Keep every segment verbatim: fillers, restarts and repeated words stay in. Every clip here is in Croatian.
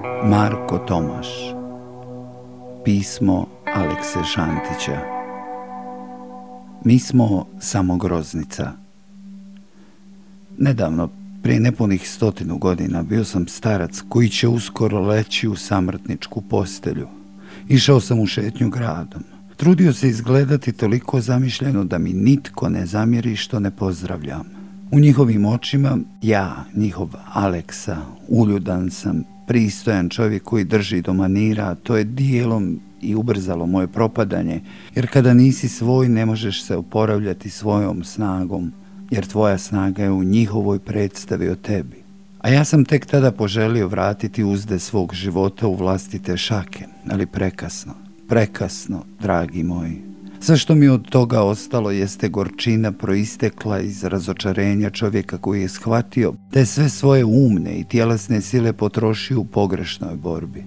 Marko Tomaš. Pismo Alekse Šantića. Mi smo samo groznica. Nedavno, prije nepunih stotinu godina, bio sam starac koji će uskoro leći u samrtničku postelju. Išao sam u šetnju gradom. Trudio se izgledati toliko zamišljeno da mi nitko ne zamjeri što ne pozdravljam. U njihovim očima ja, njihov Aleksa, uljudan sam, pristojan čovjek koji drži do manira, to je dijelom i ubrzalo moje propadanje, jer kada nisi svoj ne možeš se oporavljati svojom snagom, jer tvoja snaga je u njihovoj predstavi o tebi. A ja sam tek tada poželio vratiti uzde svog života u vlastite šake, ali prekasno, prekasno, dragi moji. Sve što mi od toga ostalo jeste gorčina proistekla iz razočarenja čovjeka koji je shvatio da je sve svoje umne i tjelesne sile potrošio u pogrešnoj borbi.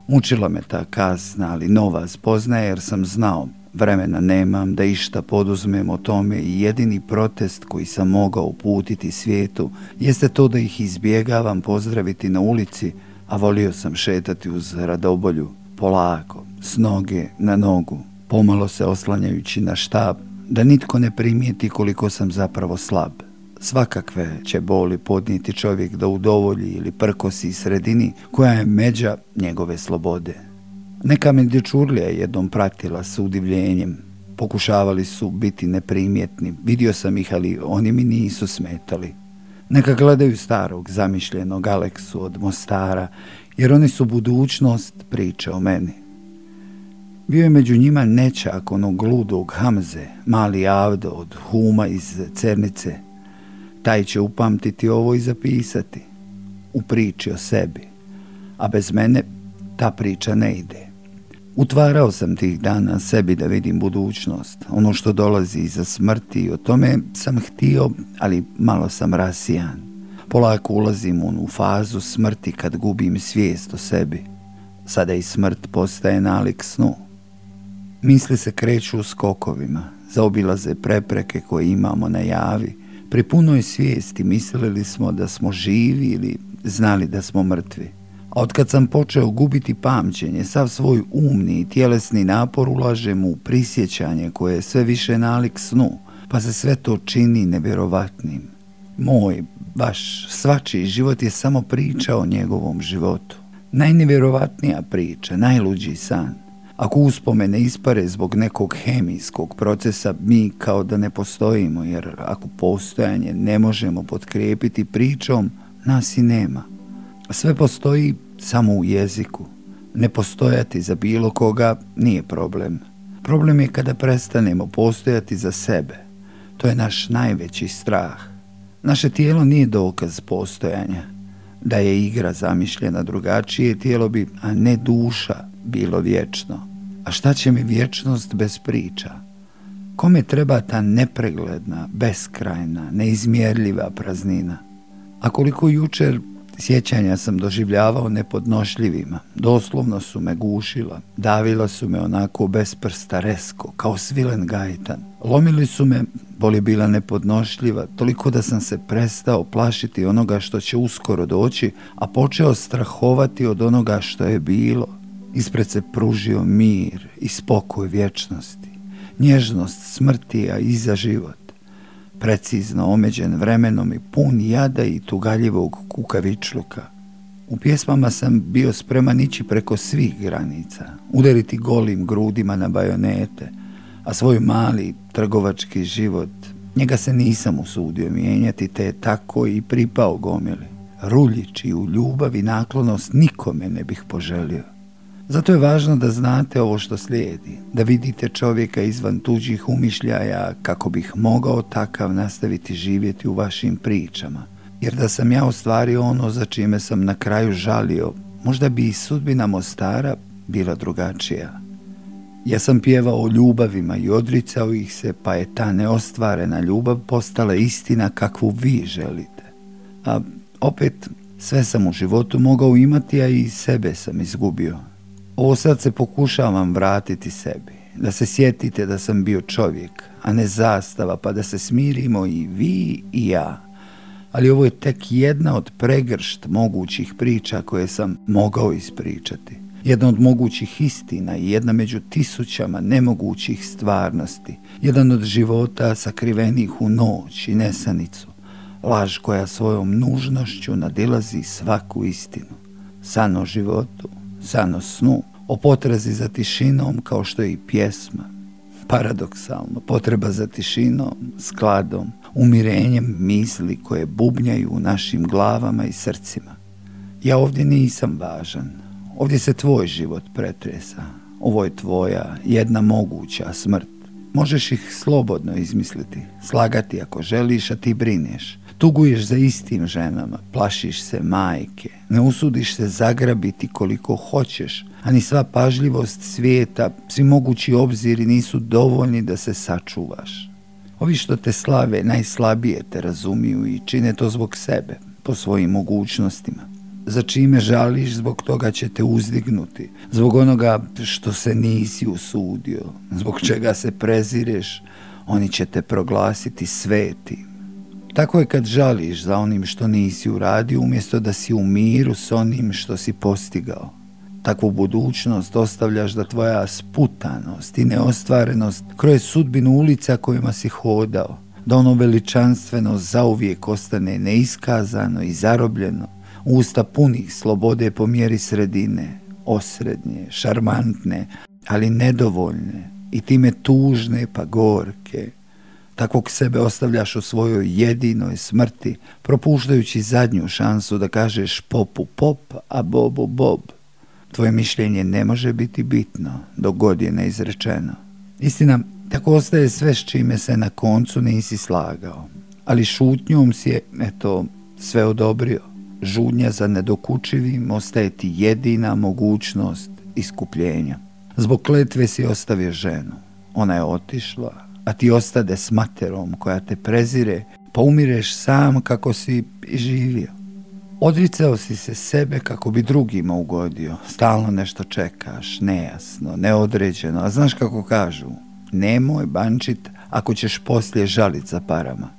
Mučila me ta kasna, ali nova spoznaja, jer sam znao, vremena nemam da išta poduzmem o tome i jedini protest koji sam mogao uputiti svijetu jeste to da ih izbjegavam pozdraviti na ulici, a volio sam šetati uz radobolju, polako, s noge na nogu, pomalo se oslanjajući na štab, da nitko ne primijeti koliko sam zapravo slab. Svakakve će boli podnijeti čovjek da udovolji ili prkosi sredini koja je međa njegove slobode. Neka me dječurlija jednom pratila s udivljenjem. Pokušavali su biti neprimjetni, vidio sam ih, ali oni mi nisu smetali. Neka gledaju starog, zamišljenog Aleksu od Mostara, jer oni su budućnost priče o meni. Bio je među njima nećak onog gludog Hamze, mali Avdo od Huma iz Cernice. Taj će upamtiti ovo i zapisati u priči o sebi, a bez mene ta priča ne ide. Utvarao sam tih dana sebi da vidim budućnost, ono što dolazi iza smrti, i o tome sam htio, ali malo sam rasijan. Polako ulazim u onu fazu smrti kad gubim svijest o sebi. Sada i smrt postaje nalik snu. Misli se kreću u skokovima, zaobilaze prepreke koje imamo na javi. Pri punoj svijesti mislili smo da smo živi ili znali da smo mrtvi. A otkad sam počeo gubiti pamćenje, sav svoj umni i tjelesni napor ulažem u prisjećanje koje je sve više nalik snu, pa se sve to čini nevjerovatnim. Moj, vaš, svačiji život je samo priča o njegovom životu. Najnevjerovatnija priča, najluđi san. Ako uspomene ispare zbog nekog hemijskog procesa, mi kao da ne postojimo, jer ako postojanje ne možemo potkrijepiti pričom, nas i nema. Sve postoji samo u jeziku. Ne postojati za bilo koga nije problem. Problem je kada prestanemo postojati za sebe. To je naš najveći strah. Naše tijelo nije dokaz postojanja. Da je igra zamišljena drugačije, tijelo bi, a ne duša, bilo vječno. A šta će mi vječnost bez priča? Kome treba ta nepregledna, beskrajna, neizmjerljiva praznina? A koliko jučer sjećanja sam doživljavao nepodnošljivima, doslovno su me gušila, davila su me onako bez prsta resko, kao svilen gajtan. Lomili su me, bol je bila nepodnošljiva, toliko da sam se prestao plašiti onoga što će uskoro doći, a počeo strahovati od onoga što je bilo. Ispred se pružio mir i spokoj vječnosti, nježnost smrti, a iza život. Precizno omeđen vremenom i pun jada i tugaljivog kukavičluka. U pjesmama sam bio spreman ići preko svih granica, udariti golim grudima na bajonete, a svoj mali trgovački život, njega se nisam usudio mijenjati, te je tako i pripao gomili. Ruljić i u ljubav i naklonost nikome ne bih poželio. Zato je važno da znate ovo što slijedi, da vidite čovjeka izvan tuđih umišljaja kako bih mogao takav nastaviti živjeti u vašim pričama. Jer da sam ja ostvario ono za čime sam na kraju žalio, možda bi i sudbina Mostara bila drugačija. Ja sam pjevao o ljubavima i odricao ih se, pa je ta neostvarena ljubav postala istina kakvu vi želite. A opet, sve sam u životu mogao imati, a i sebe sam izgubio. Ovo sad se pokušavam vratiti sebi, da se sjetite da sam bio čovjek, a ne zastava, pa da se smirimo i vi i ja. ali ovo je tek jedna od pregršt mogućih priča koje sam mogao ispričati. Jedna od mogućih istina i jedna među tisućama nemogućih stvarnosti. Jedan od života sakrivenih u noć i nesanicu. Laž koja svojom nužnošću nadilazi svaku istinu. San o životu, san o snu, o potrazi za tišinom kao što je i pjesma. Paradoksalno, potreba za tišinom, skladom, umirenjem misli koje bubnjaju u našim glavama i srcima. Ja ovdje nisam važan. Ovdje se tvoj život pretresa. Ovo je tvoja jedna moguća smrt. Možeš ih slobodno izmisliti, slagati ako želiš, a ti brineš. Tuguješ za istim ženama, plašiš se majke, ne usudiš se zagrabiti koliko hoćeš, a ni sva pažljivost svijeta, svi mogući obziri nisu dovoljni da se sačuvaš. Ovi što te slave najslabije te razumiju i čine to zbog sebe, po svojim mogućnostima. Za čime žališ, zbog toga će te uzdignuti, zbog onoga što se nisi usudio, zbog čega se prezireš, oni će te proglasiti svetim. Tako je kad žališ za onim što nisi uradio, umjesto da si u miru s onim što si postigao. Takvu budućnost ostavljaš da tvoja sputanost i neostvarenost kroje sudbinu ulica kojima si hodao, da ono veličanstveno zauvijek ostane neiskazano i zarobljeno, usta punih slobode po mjeri sredine, osrednje, šarmantne, ali nedovoljne i time tužne pa gorke. Takvog sebe ostavljaš u svojoj jedinoj smrti, propuštajući zadnju šansu da kažeš popu pop, a bobu bob. Tvoje mišljenje ne može biti bitno dok god je neizrečeno. Istina, tako ostaje sve s čime se na koncu nisi slagao, ali šutnjom si je, eto, sve odobrio. Žudnja za nedokučivim ostaje ti jedina mogućnost iskupljenja. Zbog kletve si ostavio ženu. Ona je otišla, a ti ostade s materom koja te prezire, pa umireš sam kako si i živio. Odricao si se sebe kako bi drugima ugodio. Stalno nešto čekaš, nejasno, neodređeno, a znaš kako kažu, nemoj bančit ako ćeš poslije žalit za parama.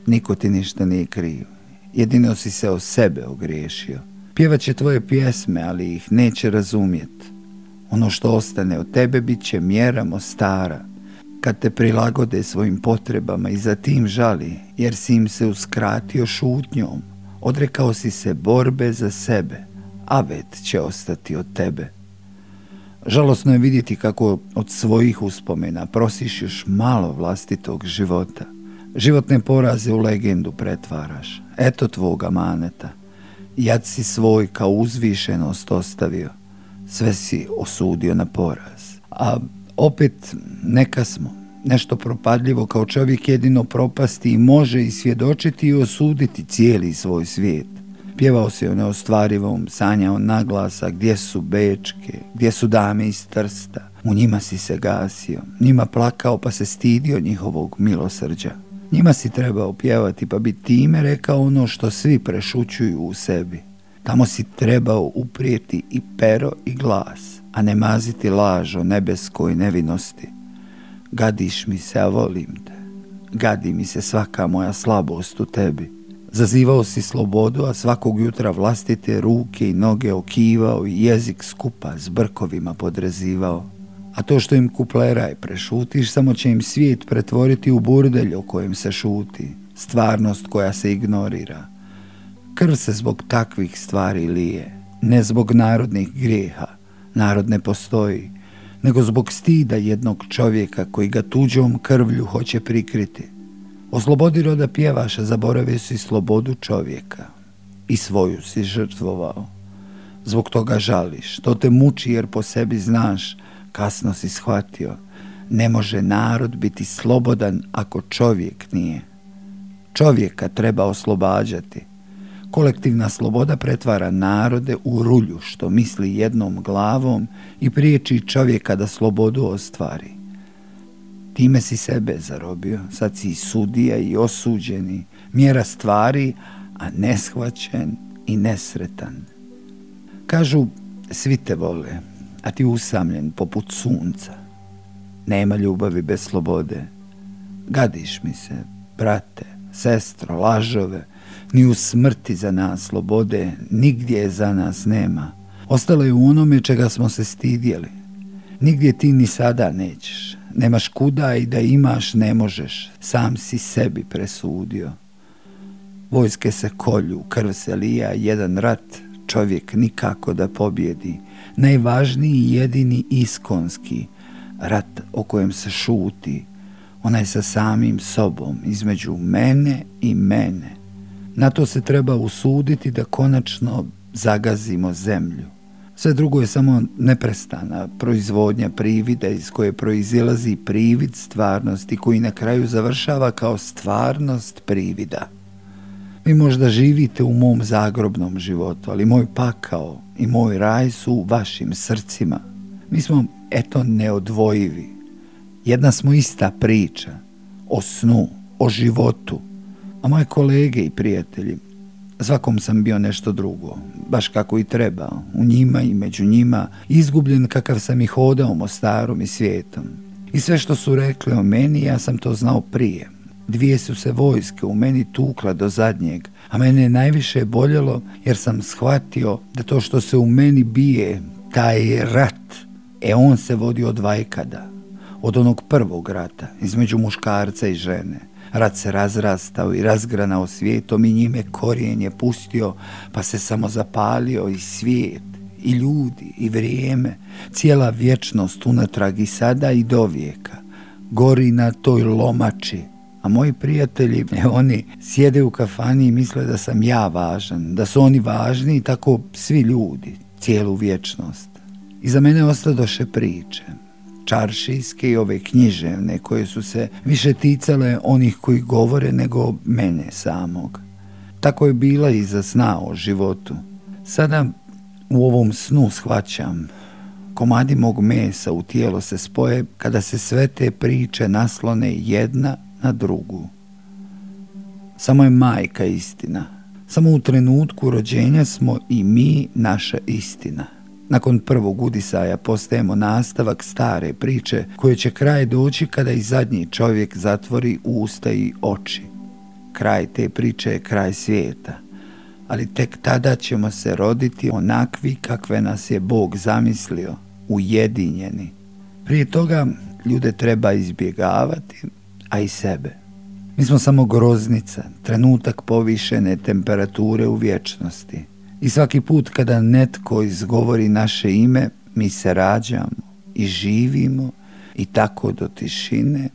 Niko ti ništa nije kriv. Jedino si se o sebe ogriješio. Pjevat će tvoje pjesme, ali ih neće razumjet. Ono što ostane od tebe bit će mjera mostara. Kad te prilagode svojim potrebama i za tim žali, jer si im se uskratio šutnjom, odrekao si se borbe za sebe, avet će ostati od tebe. Žalosno je vidjeti kako od svojih uspomena prosiš još malo vlastitog života. Životne poraze u legendu pretvaraš. Eto tvog amaneta. Jad si svoj kao uzvišenost ostavio. Sve si osudio na poraz. A opet neka smo. Nešto propadljivo kao čovjek jedino propasti i može i svjedočiti i osuditi cijeli svoj svijet. Pjevao se o neostvarivom, sanjao naglasa gdje su bečke, gdje su dame iz Trsta. U njima si se gasio, njima plakao pa se stidio njihovog milosrđa. Njima si trebao pjevati pa bi time rekao ono što svi prešućuju u sebi. Tamo si trebao uprijeti i pero i glas, a ne maziti laž o nebeskoj nevinosti. Gadiš mi se, a volim te. Gadi mi se svaka moja slabost u tebi. Zazivao si slobodu, a svakog jutra vlastite ruke i noge okivao i jezik skupa s brkovima podrezivao. A to što im kupleraj prešutiš, samo će im svijet pretvoriti u burdelj o kojem se šuti, stvarnost koja se ignorira. Krv se zbog takvih stvari lije, ne zbog narodnih grijeha, narod ne postoji, nego zbog stida jednog čovjeka koji ga tuđom krvlju hoće prikriti. Oslobodi roda pjevaša, zaboravio si slobodu čovjeka i svoju si žrtvovao. Zbog toga žališ, to te muči jer po sebi znaš, kasno si shvatio, ne može narod biti slobodan ako čovjek nije. Čovjeka treba oslobađati. Kolektivna sloboda pretvara narode u rulju što misli jednom glavom i priječi čovjeka da slobodu ostvari. Time si sebe zarobio, sad si i sudija i osuđeni, mjera stvari, a neshvaćen i nesretan. Kažu, svi te vole, a ti usamljen poput sunca. Nema ljubavi bez slobode. Gadiš mi se, brate, sestro, lažove, Ni u smrti za nas slobode, nigdje je za nas nema. Ostalo je u onome čega smo se stidjeli. Nigdje ti ni sada nećeš. Nemaš kuda i da imaš ne možeš. Sam si sebi presudio. Vojske se kolju, krv se lija, jedan rat čovjek nikako da pobjedi. Najvažniji i jedini iskonski rat o kojem se šuti, onaj sa samim sobom, između mene i mene. Na to se treba usuditi da konačno zagazimo zemlju. Sve drugo je samo neprestana proizvodnja privida iz koje proizilazi privid stvarnosti koji na kraju završava kao stvarnost privida. Vi možda živite u mom zagrobnom životu, ali moj pakao i moj raj su u vašim srcima. Mi smo, eto, neodvojivi. Jedna smo ista priča, o snu, o životu. A moje kolege i prijatelji, svakom sam bio nešto drugo, baš kako i treba, u njima i među njima, izgubljen kakav sam i hodao Mostarom i svijetom. I sve što su rekli o meni, ja sam to znao prije. Dvije su se vojske u meni tukla do zadnjeg, a mene je najviše boljelo jer sam shvatio da to što se u meni bije, taj rat, e on se vodi od vajkada, od onog prvog rata, između muškarca i žene. Rat se razrastao i razgranao svijetom i njime korijen je pustio, pa se samo zapalio i svijet, i ljudi, i vrijeme, cijela vječnost unatrag i sada i do vijeka. Gori na toj lomači, a moji prijatelji, oni sjede u kafani i misle da sam ja važan, da su oni važni i tako svi ljudi, cijelu vječnost. I za mene ostadoše priče, čaršijske i ove književne, koje su se više ticale onih koji govore nego mene samog. Tako je bila i za sna o životu. Sada u ovom snu shvaćam, komadi mog mesa u tijelo se spoje kada se sve te priče naslone jedna na drugu. Samo je majka istina. Samo u trenutku rođenja smo i mi naša istina. Nakon prvog udisaja postajemo nastavak stare priče koje će kraj doći kada i zadnji čovjek zatvori usta i oči. Kraj te priče je kraj svijeta, ali tek tada ćemo se roditi onakvi kakve nas je Bog zamislio, ujedinjeni. Prije toga ljude treba izbjegavati, a i sebe. Mi smo samo groznica, trenutak povišene temperature u vječnosti. I svaki put kada netko izgovori naše ime, mi se rađamo i živimo i tako do tišine